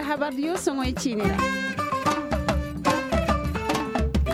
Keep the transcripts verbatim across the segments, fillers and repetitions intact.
Habar diyo soŋoy ciine ra.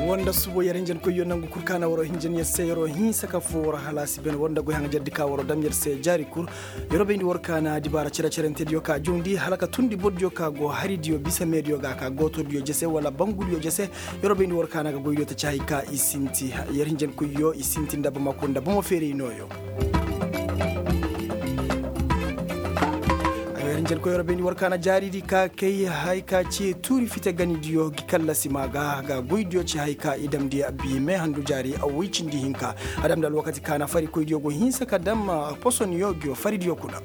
Wanda subo yer hinjankoyyo nangu kul kaana waroo hinjan yer se yeroo hinsa ka foo waroo halaasi ben war nda goy haŋajardi ka waroo dam yer se jaari kul. Yeroo bayndi war kaana dibaara cere-cerentediyo ka jawndi hala ka tundi bordiyo ka go haridiyo bisa meediyo ga ka gootodiyo jese wala bangudiyo jese. Yeroo bayndi war kaana ga goydiyo ta ci hay ka i sinti. Yer hinjankoyyo i sinti nda bamako nda bomo feeray nooyo. Ay wer njer koy yor bayndi war kaana jaaridi ka kay hay ka ci tuuri fite ganidiyo gi kallasi ma ga ga goydiyo ci hay ka i damndi. Bi me handu jaari a woy cindi hinka a damndi alwakati kaana farikoydiyo go hinsa ka dam posoniyo giyo faridiyo kuna.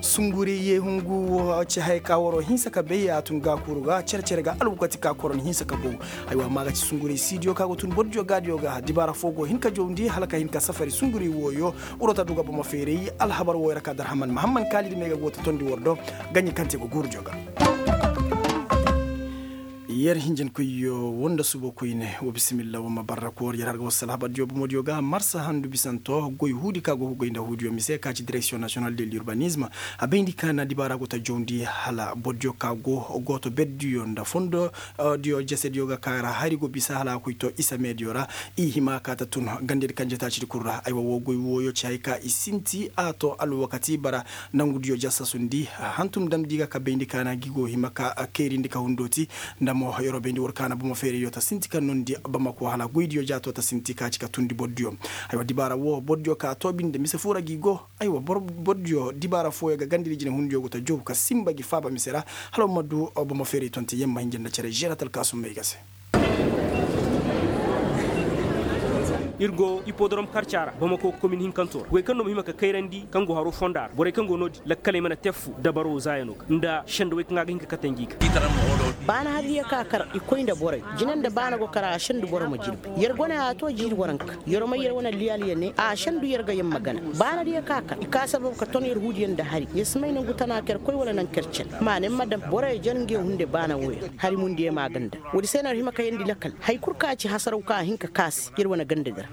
Sunguri ye hungu wo ci hay ka waro hinsa ka bay a tun ga kuru ga cere-cere ga alwakati ka koron hinsa ka bow. Aywa ma ga ci sunguri siidiyo ka go tun bordiyo gaadiyo ga dibaara fo go hin ka jawndi hala ka hin ka safari sunguri wooyo. Urota duga bomo feeray alhabar wooyo ra ka darhaman mahamman kaalidi me ga go ta tondi war do. Gaɲi kaŋ te go guurudiyo ga. Yer hinjinkoyyo woo nda subo koyne woo bisimilla woo ma barra koor yer har ga wasu alhabardiyo bomodiyo ga marsa handu bisanto goy huudi ka go ga goy nda huudiyo mise ka ci direksiyoŋ nasiyonal de l'urbanisme. A bayndi ka na dibaara go ta jawndi hala bordiyo ka go gooto berdiyo nda fondo diyo jesediyo ga ka ra hari go bisa hala a koy to isa meediyo ra. I hima ka ta tun gandedi kaŋ jetaacidi kul ra aywa woo goy wooyo ci hay ka i sinti a to alwakati bara. Nangudiyo jasasundi hantum damndi ga ka bayndi ka na gi go hima ka kayrindi ka hundooti. Nda mo yeroo bayndi war ka na bomo feerayyo ta sinti ka nondi bamako hala goydiyo jaato ta sinti ka ci ka tundi bordiyo. Aywa dibaara woo bordiyo ka toobi nda mise fuu ra gi go. Aywa bordiyo dibaara fooyo ga gandedi jinehundiyo go ta jow ka sinba gi faaba mise ra. Hala war ma du bomo feeray tonte yer ma hinja nda cere žeeratal kaasum may ga se. Ir go ipodorom karca ra bamako komin hinkanto ra goy kaŋ no ma hima ka kayrandi kaŋ go haro fonda ra borey kaŋ go no-din lakkaley mana te fu dabaro zaayano ga nda senda wey kaŋ a ga hin ka kate ngi ga. Baana haridiyo ka kar i koy nda borey jina nda baana go kar a sendu boro ma jirbi yer gone a to jiiri waranka. Yer may yer wane liyaaliya ne a sendu yer ga yer ma gana. Baanadiyo ka kar i ka sabab ka ton yer huudiyo nda hari yer si may nangu tana ka yer koy wala nangu ka yer cen. Maana yer ma daŋ boroyo jar nge hunde baana wooyo. Hari mundiyo ma ganda woodi se no yer hima ka yeendi lakkal. Hay kul ka ci hasaraw ka a hin ka kaasi yer wane gandadi ra.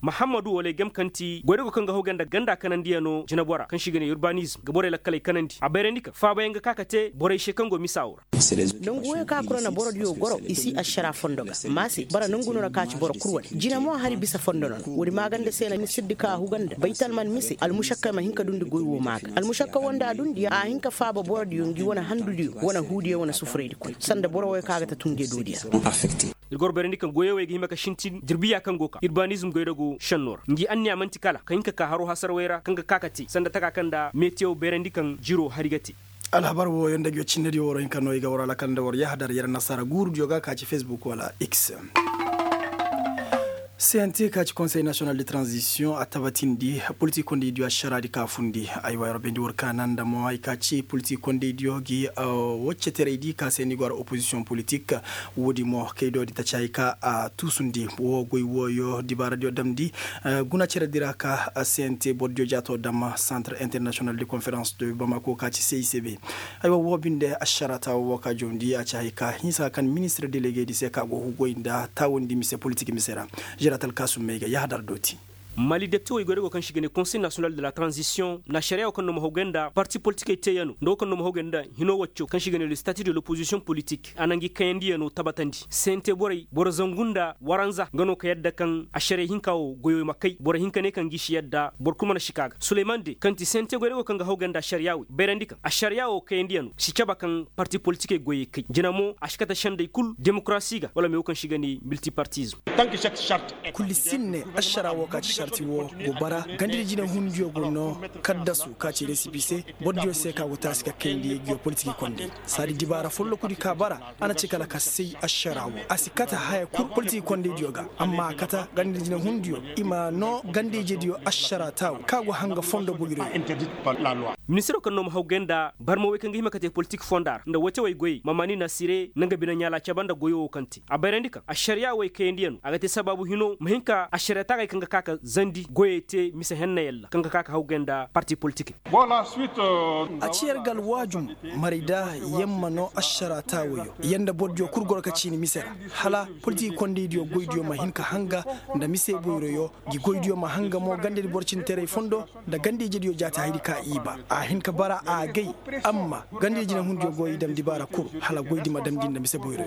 Mahammadu wala ay gam kaŋ ti goydago kaŋ ga haw ganda ganda kanandiyanoo jinabora kaŋ se i ga ne urbanizm ga borey lakkaley kanandi a bayrandi kaŋ faabayaŋ ga ka ka te borey se kaŋ go misa woo ra. Nangu wooyo ka kul ra na borodiyo goro i si ašara fondo ga. Maase bara nangu no na ka ci boro kul wane jina mo hari bisa fondo no na woodi maaganda se na ni siddi ka huganda baytalman mise almušakka ma hin ka dundi goy woo maa ga almušakka woo nda a dundi a hin ka faaba borodiyo ngi wane handudiyo wane huudiyo wane sufuraydi kul sanda boro wooyo kaŋ a ga ta tun nge doodiyo ra. Ir goro bayrandi kaŋ goyey wey ga hima ka sintin jirbiya kaŋ go ka urbanizm goydago šennoo ra ngi anniya man'ti kala ka hin ka ka haro hasarawey ra kaŋ ga ka ka te sanda taka kaŋ nda metiyow bayrandi kaŋ jiroo hari ga te. Alhabar wooyo nda ngiyo cinnediyo war hinka no i ga war alakal nda war yahadar yer nasaara guurudiyo ga ka ci fesbuk wala x. Sente ka ci konsey nasiyonal de tranzisiyoŋ a tabatindi politik kondeydiyo ašaraadi ka fundi. Aywa yer bayndi war kaana nda mo hay ka ci politik kondeydiyo gi wacceteraydi ka se ni go ara opozisiyoŋ politik. Woodi mo kaydoodi taci hay ka a tuusundi woo goy wooyo dibaaradiyo damndi. Guna ceredi ra ka sente bordiyo jaato dam santre internasiyonal de konferans de bamako ka ci c i c b. Aywa woo binde ašara taawo woo ka jawndi a ci hay ka hinsa kaŋ ministir delegedi se ka go hugoy nda taawandi mise politik mise ra. Žeeratal kaasum may ga yahadar dooti. Mali deptewey goydago kaŋ se i ga ne konsey nasiyonal de la tranzisiyoŋ na ašariyaa woo kaŋ no ma haw gay nda parti politikey teeyanoo nda woo kaŋ no ma haw gay nda hinoo waccoo kaŋ se i ga ne le stati de lopozisiyoŋ politik a na ngi kayandiyanoo tabatandi sente borey boro zangu nda waranza nga no ka yadda kaŋ ašariya hinka woo goyoo ma kay boro hinka ne kaŋ ngi si yadda boro kul mana sika ga suleyman de kaŋ ti sente goydago kaŋ ga haw gay nda ašariyaa wey bayrandi kaŋ ašariyaa woo kayandiyanoo si caba kaŋ parti politikey goyey kay jina mo a si kate sendey kul demokarasi ga wala me woo kaŋ se i ga ne miltipartizm. Kulli sinne ašara woo ka ci sarti woo go bara gandadi jinehundiyo go noo kaddasu ka ci resipi se. Bordiyo se ka go taasi ka kayndi giyo politiki kondey saadi dibaara follokudi ka bara a na ci kala ka say ašara woo a si kate haya kul politiki kondeydiyo ga amma a kate gandadi jinehundiyo i ma noo gandayjediyo ašara taawu ka go hanga fondo boyroyo. Ministiroo kaŋ no ma haw gay nda barma wey kaŋ ga hima ka te politik fonda ra nda wacewey goyey mamani nasire na nga bine ɲaala caba nda goyo woo kaŋ te a bayrandi kaŋ ašariyaa wey kayandiyanoo a ga te sabaabu hinoo ma hin ka ašariyaa taagey kaŋ ga ka ka zandi goyey te mise henna yalla kaŋ ga ka ka hawgay nda parti politikey. A ci yer ga alwaajum maray da yer ma noo ašara taawayo yer nda bordiyo kul goro ka ciini mise ra, hala politik kondaydiyo goydiyo ma hin ka hanga nda mise boyroyo. Gi goydiyo ma hanga mo gandadi boro cintaray fondo nda ganda ijediyo jaati hayadi ka i ba a hin ka bara a gay. Amma ganda ijinehundiyo go i dam dibaara kul hala goydi ma dam gi nda mise boyroyo.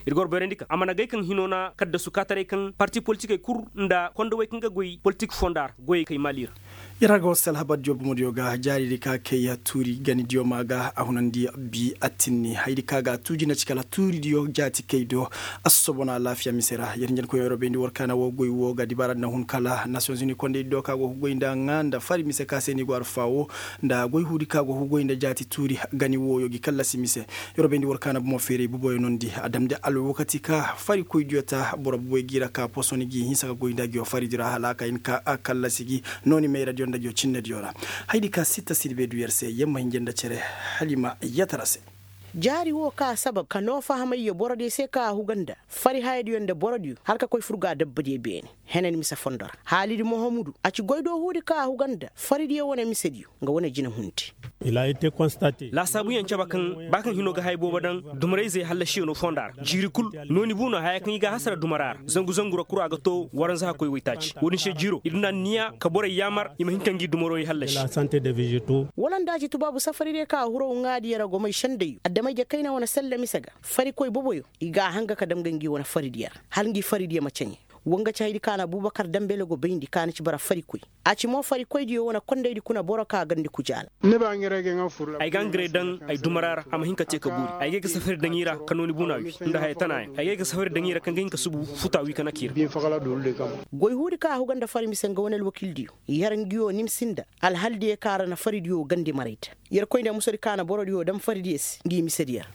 Ir goro bayrandi ka a mana gay kaŋ hino na kaddasu kaataray kaŋ parti politikey kul nda kondowey kaŋ ga goy politik fonda ra goyey kay maali ra. Yer ga war se alhabardiyo bomodiyo ga jaaridi ka kay tuuri ganidiyo ma ga a hunandi bi attinni hayadi ka ga a tuuji na ci kala tuuridiyo jaati kay do. Assobona alaafiya mise ra yer njankoyoo yer bayndi war kaana woo goy woo ga dibaara na hun kala nasiyonzuni kondaydi do ka go ga goy nda ŋaa nda fari mise ka se ni go arfa woo nda goy huudi ka go ga goy nda jaati tuuri gani wooyo gi kallasi mise. Yer bayndi war kaana bomo feeray boboyo nondi a damndi alwakati ka farikoydiyo ta boro boboyo gi ra ka posoni gi hinsa ka goy nda giyo faridi ra hala a ka hin ka kallasi gi. Nooni mayradiyo nda giyo cinnediyo ra. Hayadi ka sitta sirbe du yer se yer ma hinja nda cere. Halima yatara se. Jaari woo ka sabab ka noo fahamayyo borodiyo se ka a huga nda fari hayadiyo nda borodiyo hala ka koy fur ga dabbadiyo beene. Henan mise fondo ra haalidi mohamudu a ci goydoo huudi ka a huga nda faridiyo wane misediyo nga wane jinahundi. Laasaabuyaŋ caba kaŋ ba kaŋ hino ga haya boobo daŋ dumarayzey hallasiyanoo fonda ra jiiri kul. Nooni buuna haya kaŋ i ga a hasara dumara ra zangu zangu ra kura ga to waranza hakkoy waytaaci wo-din se jiiro ir na anniya ka borey yaamar i ma hin ka ngi dumaroo i hallasi. Wala nda a ci tubaabu safari day ka a huraw ŋaadiyo ra gomay sendayyo adama-ije kayna wane selle mise ga farikoy boboyo i ga a hanga ka dam ga ngi wane faridiyo ra hala ngi faridiyo ma ceɲe. Wa nga ci hayadi ka na abubakar dambele go bayndi ka na ci bara farikoy. A ci mo farikoydiyo wane kondaydi kuna boro ka gandi kujaala. Ay ga nga ray daŋ ay dumara ra a ma hin ka te ka buuri ay ga ay ga safari daŋ i ra ka nooni buuna wi nda haya tana yaŋ ay ga ay ga safari daŋ i ra kaŋ ga hin ka subu futa wi ka naki ra. Goy huudi ka a huga nda fari mise nga wane alwakildiyo yer ngiyo nimsi nda alhaldiyo ka ra na faridiyo gandi maray da. Yer koy nda musadi ka na borodiyo daŋ faridiyo se ngi misediyo ra.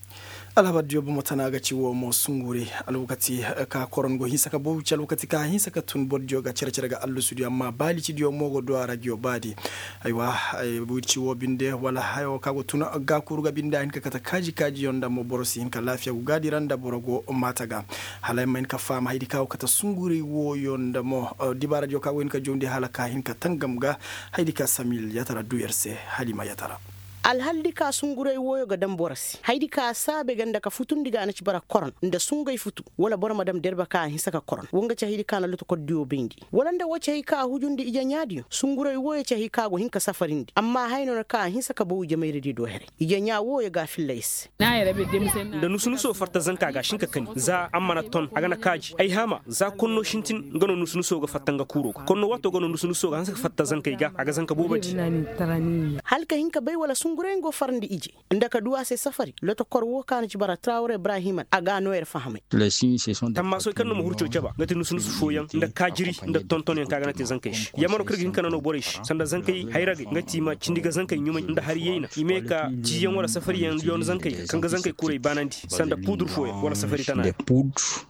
Alhabardiyo bomo tana ga ci woo mo sunguri alwakati ka koron go hinsa ka bow ci alwakati ka hinsa ka tun bordiyo ga cere-cere ga allusudiyo amma baalicidiyo mo go du a ra giyo baadi. Aywa. Wirci woo binde wala hayo ka go tun gaakuru ga binde a hin ka kate kaaji-kaajiyo nda mo boro si hin ka laafiya go gaadi ra nda boro go maata ga. Hala ay ma hin ka faama hayadi ka go kate sunguray wooyo nda mo dibaaradiyo ka go hin ka jawndi hala ka hin ka tangam ga. Hayadi ka samil yatara du yer se. Halima yatara. Alhaldi ka sunguray wooyo ga daŋ boro se hayadi ka saabe ga nda ka futundi ga a na ci bara koron nda sungay futu wala boro ma daŋ derbe ka a hinsa ka koron wa nga ci hayadi ka na lotokordiyo bayndi wala nda woo ci hay ka a hujundi ije ɲaadiyo sunguray wooyo ci hay ka go hin ka safarindi amma haya no na ka a hinsa ka bow ijemayradiyo do heray. Ije ɲaa wooyo ga a filla ay se. Nda nusu-nuso fatta zanka ga a si hin ka kani za a mana ton a ga na kaaji ay haama za konno sintin nga no nusu-nuso ga fatta nga kuuro ga konno waato ga no nusu-nuso ga hanse ka fatta zankey ga a ga zanka boobo di. Hala ka hin ka bay wala sunguray nga go farandi ije nda ka du a se safari lotokor woo ka na ci bara trawre ibrahima a ga a noo yer fahamay. Tammaasoy kaŋ no ma hurco caba nga ti nusu-nusu fooyaŋ nda kaajiri nda tontonyaŋ kaŋ a ga na te zankey se yamano kaŋ ir ga hin ka nanoo borey se sanda zankey hayragey nga ti i ma cindi ga zankey ɲumay nda hari yayna i ma ye ka ciiyaŋ wala safariyaŋ yoona zankey kaŋ ga zankey kurey baanandi sanda puudur fooyaŋ wala safari tana.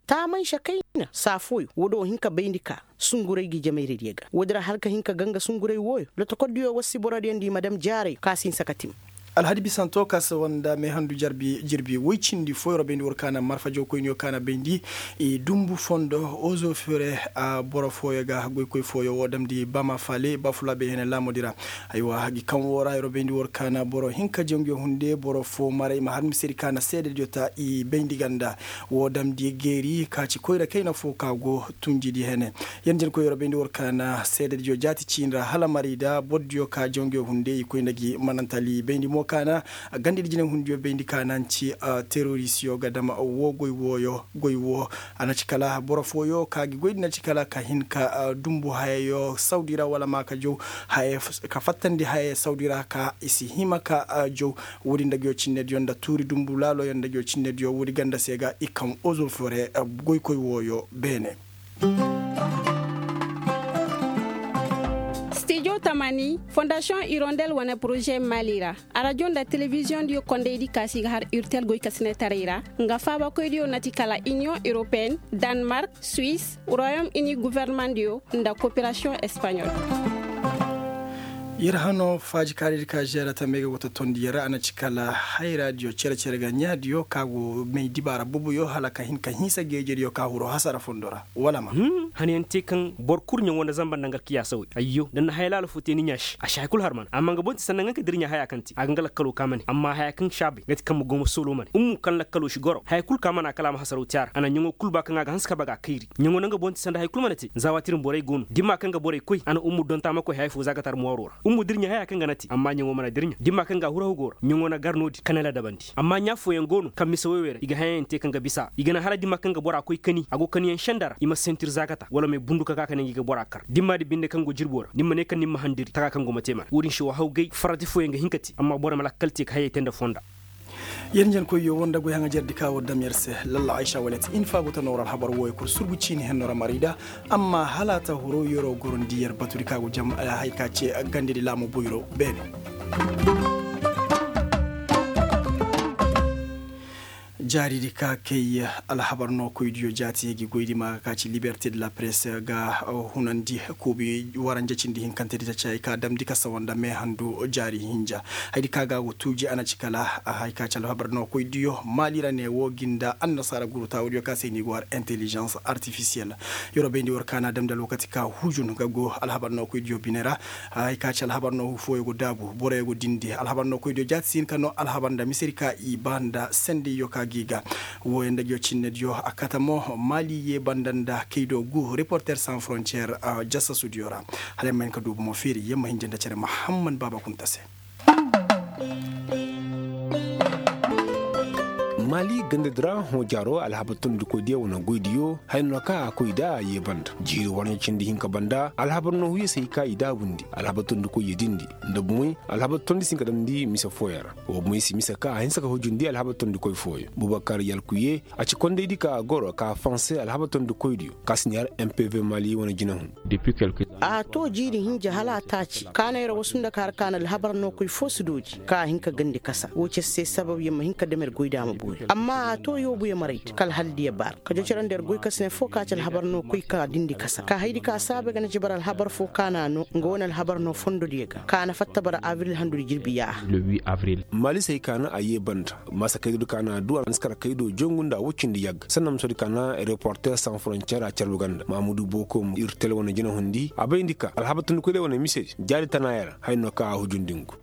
Taamanse kayna saa fooyaŋ woo do hin ka bayndi ka sunguray gi jamayradiyo ga woodi ra hala ka hin ka ganga sunguray wooyo lotokordiyo war si borodiyo nda i ma dam jaarayo ka si hinsa ka tim. Alhadi bisanto ka si wanda meehandu jirbi woy cindi fooyo ra bayndi war kaana marfa jawkoyniyo kaana bayndi i dumbu fondo ozo fere. Boro fooyo ga goykoy fooyo woo damndi bama faale bafulaabey hene laamoodi ra. Aywa gi kaŋ woo ra yer bayndi war kaana boro hinka janguyo hunde boro foo maray ma har misedi kaana seedediyo ta i bayndi ganda woo damndi geeri ka ci koyra kayna foo ka go tunjidi hene. Yer nja ni koy yer bayndi war kaana seedediyo jaati ciini ra hala marayda bordiyo ka janguyo hunde i koy nda gi manantali bayndi mo kaana gandadi jinay hundiyo bayndi kaana nci terorisiyo ga dama woo goy wooyo goy woo. A na ci kala boro fooyo ka gi goydi na ci kala ka hin ka dumbu hayayo sawdi ra wala ma ka jaw ka fattandi hayayo sawdi ra ka i si hima ka jaw. Woodi nda nguyo cinnediyo nda tuuri dumbu laaloyo nda nguyo cinnediyo woodi ganda se ga i kaŋ ozofore goykoy wooyo beene. Stijo tamani fondasiyoŋ irondel wane poroze maali ra. Arajo nda telebiziyoŋ diyo kondaydi kaasi ga har urtel goykasinetaray ra nga faabakoydiyo na ti kala iniyoŋ europeen, danmark, suwis, royom ini governemandiyo nda koperasiyoŋ espaɲol. Yer hano faaji kaaridi ka žeera tamey ga go tottondi yer ra a na ci kala hayraadiyo cere-cere ga ɲaadiyo ka go may dibaara bubuyo hala ka hin ka hinsa geejediyo ka huru hasara fondo ra wala ma. Hanayaŋ te kaŋ boro kulu ɲaŋo nda zamba nda nga alkiyaasa wey ayyo da ni na haya laala fo te ni ɲaa se a si haya kulu har mana amma nga boŋ ti sanda nga ka dirɲa haya kaŋ te a ga nga lakkalo ka mane amma haya kaŋ si a bay nga ti kaŋ ma go ma soolo mane ummu kaŋ lakkalo si goro haya kulu ka mana kala a ma hasaraw te a ra a na ɲaŋo kulu ba kaŋ a ga hanse ka ba ga a kayri ɲaŋo nda nga boŋ ti sanda haya kulu mana te za waati din borey go no dimma kaŋ ga borey koy a na ummu donta ma koy haya fo za ga tar mooro ra ummu dirɲa haya kaŋ ga na te amma ɲaŋo mana dirɲa dimma kaŋ ga a huru haw go ra ɲaŋo na gar no-din ka na ladabandi amma ɲaa fooyaŋ go no kaŋ mise woy wey ra i ga hayaŋ te kaŋ ga bisa i ga naŋ hala dimma kaŋ ga bora koy kani a go kaniyaŋ senda ra i ma sentir za ga ta wala may bundu ka ka ka ne ngi ga bora kar dimma di binde kaŋ go jirbo ra ni ma ne kaŋ ni ma handiri taka kaŋ go ma te mana wo-din se wa haw gay farati fooyaŋ ga hin ka te amma boro ma lakkal te ka hayey te nda fonda. Yer njenkoyyo woo nda goy haŋajerdi ka war dam yer se lalla aysa wala ti infa go ta noora alhabar wooyo kul surgu ciini henno ra marayda. Amma hala a ta horo yeroo gorondi yer batudi ka go jam haya ka ce gandedi laamo boyro beene. Jaaridi ka kay alhabar nookoydiyo jaati ngi goydi ma ga ka ci liberte de la presse ga hunandi kuubi waranja cindi hinkantedi ta ci hay ka damndi ka sawa nda meehandu jaari hinja. Haydi ka ga go tuuji a na ci kala hay ka ci alhabar nookoydiyo maali ra ne woo gi nda annasaara guru taawudiyo ka se ni go har intelligence artificielle. Yeroo bayndi war ka na damndi alwakati ka hujun ga go alhabar nookoydiyo bine ra. Hay ka ci alhabar no fooyo go daabu boroyo go dindi alhabar no koydiyo jaati si hin ka no alhabar nda misedi ka i ba nda sendeyyo ka gi ga. Wooyo nda ngiyo cinnediyo a kate mo maali yee banda nda kaydo gu reporter sans frontier. Jasasudiyo ra hala yamma hin ka duubu mo feeri yamma hinja nda cere mahamman baaba kunta se. Maali gandadi ra hõ jaaro alhabar tondikoydiyo wane goydiyo haya no kaŋ a koy nda a yee banda jiiri warɲa cindi hinka banda alhabar noohuyo se hay ka i daabundi alhabar tondikoyyo dindi nda bumey alhabar tondi si hin ka damndi mise fooyaŋ ra. Wa bumey si mise ka a hinsa ka hujundi alhabar tondikoy fooyaŋ bubakar yalkuye a ci kondaydi ka a goro ka a fanse alhabar tondikoydiyo ka si ni har mpv maali wane jinahun. A to jiiri hinja hala a taaci ka na yer wasu nda ka har ka na alhabar nookoy fo si dooji ka a hin ka gandi kasa woo ci yer se sabab yer ma hin ka dam yer goy da a ma boori amma a to yoobu yer maray di ka alhaldiyo baara ka jocorandi yer goy kasne fo ka ci alhabar no koy ka dindi kasa ka haydi ka saabay ga na ci bara alhabar fo ka na a no nga wane alhabar no fondodiyo ga ka na fatta bara abril handudi jirbi yaaha. Maali se hay ka na a yee banda maasa kaydo di ka na a du a na si kar kaydo jongu nda a woy cindi yagga sanda ma soodi ka na reporter sans frontier a carbu ganda mahamudu boko ir tele wane jinahundi a bayndi ka alhabar tondikoydiyo wane misedi jaari tanaaya ra haya no kaŋ a hujundi ngu.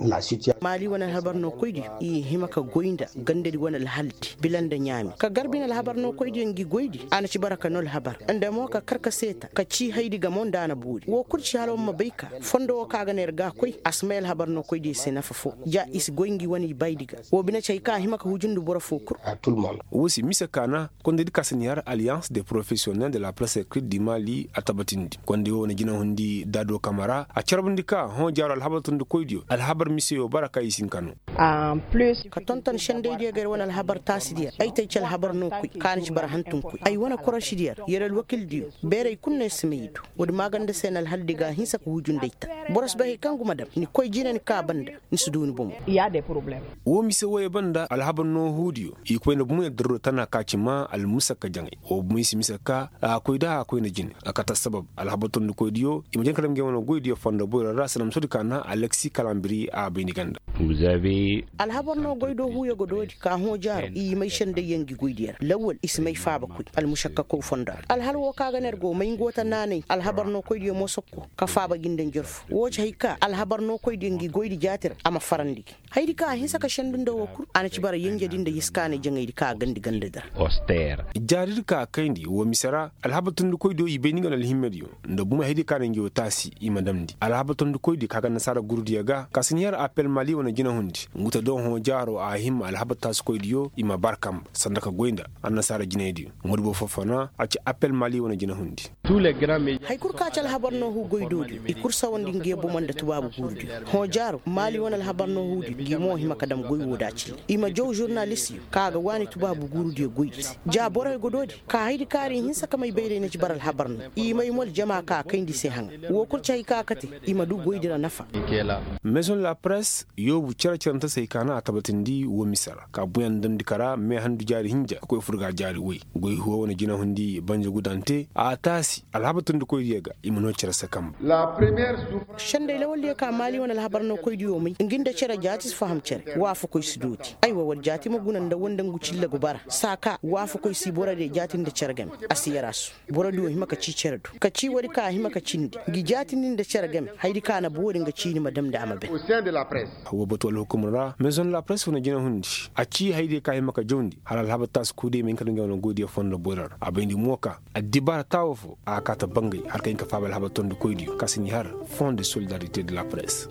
Maali wane alhabar no koydiyo i hima ka goy nda gandadi wane alhaldi bila nda ɲaami ka gar bine alhabar no koydiyo ngi goydi a na ci bara ka no alhabar nda mo ka kar ka seeta ka cii haydi gamo nda a na boori woo kul ci hala war ma bay ka fondo woo kaŋ a ga ne ir ga a koy a si may alhabar no koydiyo se nafa foo ja i si goy ngi wane ibaydi ga woo bine ci hay kaŋ a hima ka hujundi boro foo kul. Woo se mise kaana kondaydi ka si ni har alliance de professionnel de la presse écrite du mali a tabatindi konday woo wane jinahundi daado kamara a carbundi ka hõ jaaro alhabar tondikoydiyo alhabar miseyo bara kaŋ i si hin ka no. Ka tonton sendaydiyo ga yer wane alhabar taasidiyo ra ay te ay ci alhabar no koy kaŋ a na ci bara hantumkoy ay wane korosidiyo ra yer alwakildiyo beerey kul no yer si may i do. Woodi maaganda se na alhaldi ga a hinsa ka hujundi ay ta boro si bay hari kaŋ ngu ma dam ni koy jina ni kaa banda ni si du ni bomo. Woo mise wooyo banda alhabar noohudiyo i koy nda bumey addarro tana ka ci maa almusakka jaŋay woo bumey si mise ka a koy da a koy nda jine a kate assabab alhabar tondikoydiyo i ma jin ka dam ngey wane goydiyo fondo boyro ra sanda ma soodi ka na aleksi kalambiri a bay ni ganda. Alhabar no goy do huuyo ga doodi ka hõ jaaro i may sendayyaŋ ngi goydiyo ra lawwal i si may faaba koy almušakkakow fondo ra alhal woo kaŋ a ga ne yer go may ngu wata naanay alhabar no koydiyo mo sokko ka faaba gi nda njarfu woo ci hay ka alhabar no koydiyo ngi goydi jaati ra a ma farandi gi hayadi kaŋ a hinsa ka sendu nda woo kul a na ci bara yenjedi nda yiskaanay jaŋaydi kaŋ a gandi gandadi ra. Jaaridi kaŋ a kayndi woo mise ra alhabar tondikoydiyo i bay ni nga na alhimmediyo nda bumey hayadi kaŋ a na ngi woo taasi i ma damndi alhabar tondikoydiyo kaŋ a ga annasaara gurudiyo ga ka si ni har apel mali wane jinahundi ngu ta do hõ jaaro a hima alhabar taasikoydiyo i ma bar kamba sanda ka goy nda annasaara jinaydiyo. Ŋoodi boro foo fana a ci apel mali wane jinahundi. Hari kul kaŋ a ci alhabar noohu goy doodiyo i kul sawandi ngiyo bomo nda tubaabu guurudiyo hõ jaaro maali wane alhabar noohudiyo ngi mo hima ka dam goy woo da cine i ma jaw žurnalistiyo kaŋ a ga waani tubaabu guurudiyo goydi se ja borey go doodi ka hayadi kaŋ a ra i hinsa ka may bayray na ci bara alhabar no i may mo aljama kaŋ a kayndi se haŋa woo kul ci hari kaŋ a kate i ma du goydi ra nafa. Maison la presse yoobu cere-cerante se hay kaŋ a na a tabatindi woo mise ra ka buyan damndi ka ra meehandu jaari hinja ka koy fur ga jaari woy. Goy huwa wane jinahundi banjagudante a taasi alhabar tondikoydiyo ga i ma noo cere se kamba. Sendey lawaldiyo ka maali wane alhabar nookoydiyo may nga nda cere jaati si faham cere waafakoy si dooti. Aywa war jaati ma guna nda wanda ngu cilla ga bara saa ka waafakoy si borodiyo jaati nda cere game. A si yar a su borodiyo hima ka cii cere do ka cii woodi ka a hima ka cindi ngi jaatindi nda cere game. Hayadi ka a na boori nga ciini ma damndi a ma bay. Woo batu alhukumar ra maison de la presse wane jinahundi a cii hayadiyo ka a hima ka jawndi hala alhabar taasi koydiyo ma hin ka daŋ nga wane goydiyo fondo boyra ra a bayndi mo ka addibaara taawo foo a ga kaa ta bangay hala ka hin ka faaba alhabar tondikoydiyo ka si n'i har fond de solidarite de la presse.